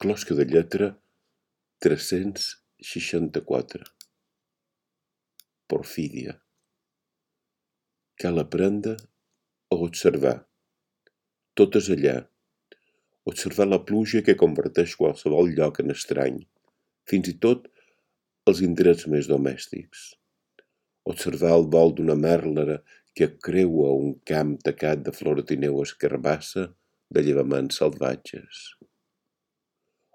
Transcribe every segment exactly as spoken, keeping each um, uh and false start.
Closca de lletra tres-cents seixanta-quatre. Porfídia. Cal aprendre a observar. Tot és allà. Observar la pluja que converteix qualsevol lloc en estrany, fins i tot els indrets més domèstics. Observar el vol d'una merlera que creua un camp tacat de floratineu escarbassa de llevaments salvatges.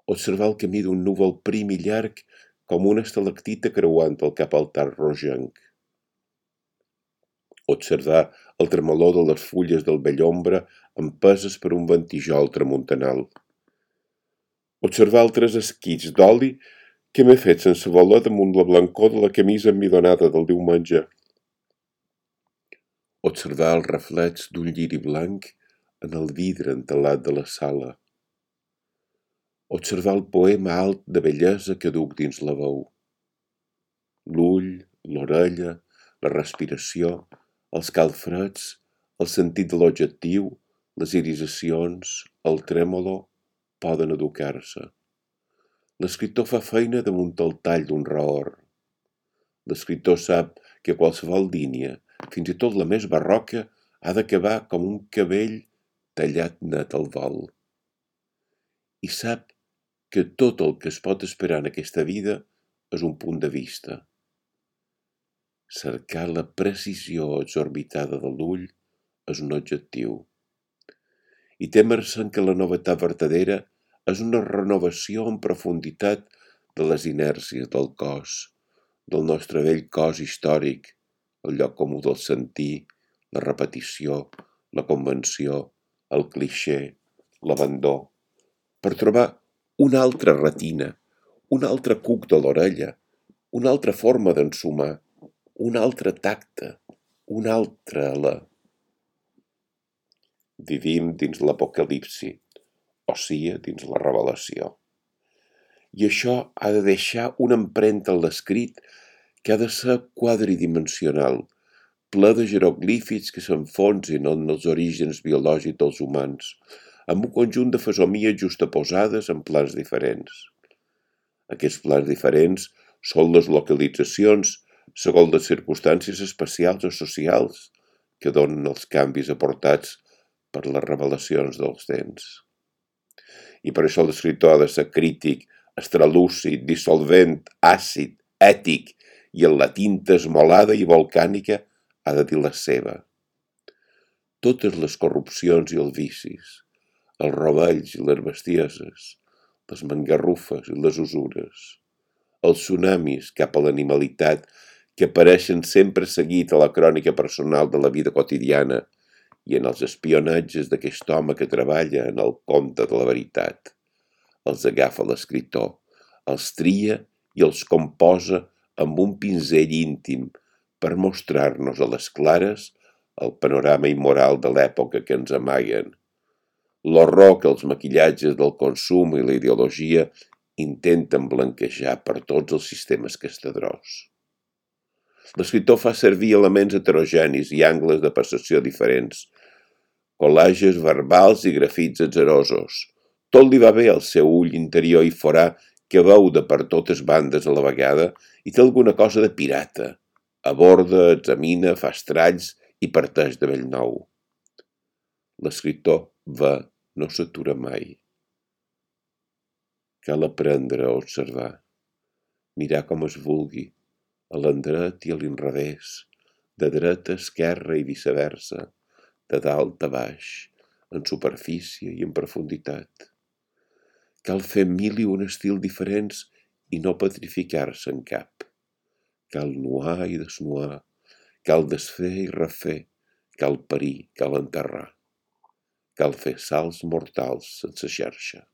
Observar el camí d'un núvol prim i llarg com una estalactita creuant el cap altar rogenc. Observar el tremolor de les fulles del bellombra empeses per un ventijol tramuntanal. Observar altres esquits d'oli que m'he fet sense voler damunt la blancor de la camisa emmidonada del diumenge. Observar el reflex d'un lliri blanc en el vidre entelat de la sala. Observar el poema alt de bellesa que duc dins la veu. L'ull, l'orella, la respiració, els calfreds, el sentit de l'objectiu, les irisacions, el trèmolo, poden educar-se. L'escriptor fa feina damunt el tall d'un raor. L'escriptor sap que qualsevol línia, fins i tot la més barroca, ha d'acabar com un cabell tallat net al vol. I sap que tot el que es pot esperar en aquesta vida és un punt de vista. Cercar la precisió exorbitada de l'ull és un objectiu. I témer-se'n que la novetat vertadera és una renovació en profunditat de les inèrcies del cos, del nostre vell cos històric, el lloc comú del sentir, la repetició, la convenció, el clixé, l'abandó, per trobar una altra retina, un altre cuc de l'orella, una altra forma d'ensumar, un altre tacte, una altra alè. Vivim dins l'apocalipsi, o sigui, dins la revelació. I això ha de deixar una empremta en l'escrit que ha de ser quadridimensional, ple de jeroglífics que s'enfonsin en els orígens biològics dels humans, amb un conjunt de fesomies justaposades en plans diferents. Aquests plans diferents són les localitzacions segons les circumstàncies espacials o socials que donen els canvis aportats per les revelacions dels temps. I per això l'escriptor ha de ser crític, estralúcid, dissolvent, àcid, ètic, i en la tinta esmolada i volcànica ha de dir la seva. Totes les corrupcions i els vicis, els rovells i les bestieses, les mangarrufes i les usures, els tsunamis cap a l'animalitat que apareixen sempre seguit a la crònica personal de la vida quotidiana i en els espionatges d'aquest home que treballa en el compte de la veritat. Els agafa l'escriptor, els tria i els composa amb un pinzell íntim per mostrar-nos a les clares el panorama immoral de l'època que ens amaguen, l'horror que els maquillatges del consum i la ideologia intenten blanquejar per tots els sistemes castadrós. L'escriptor fa servir elements heterogenis i angles de percepció diferents, col·lages verbals i grafits atzerosos. Tot li va bé al seu ull interior i forà que veu de per totes bandes a la vegada i té alguna cosa de pirata. Aborda, examina, fa estralls i parteix de bell nou. L'escriptor ve, no s'atura mai. Cal aprendre a observar, mirar com es vulgui, a l'endret i a l'inrevés, de dreta a esquerra i viceversa, de dalt a baix, en superfície i en profunditat. Cal fer mil i un estils diferents i no petrificar-se en cap. Cal nuar i desnuar, cal desfer i refer, cal parir, cal enterrar. Cal fer salts mortals sense xarxa.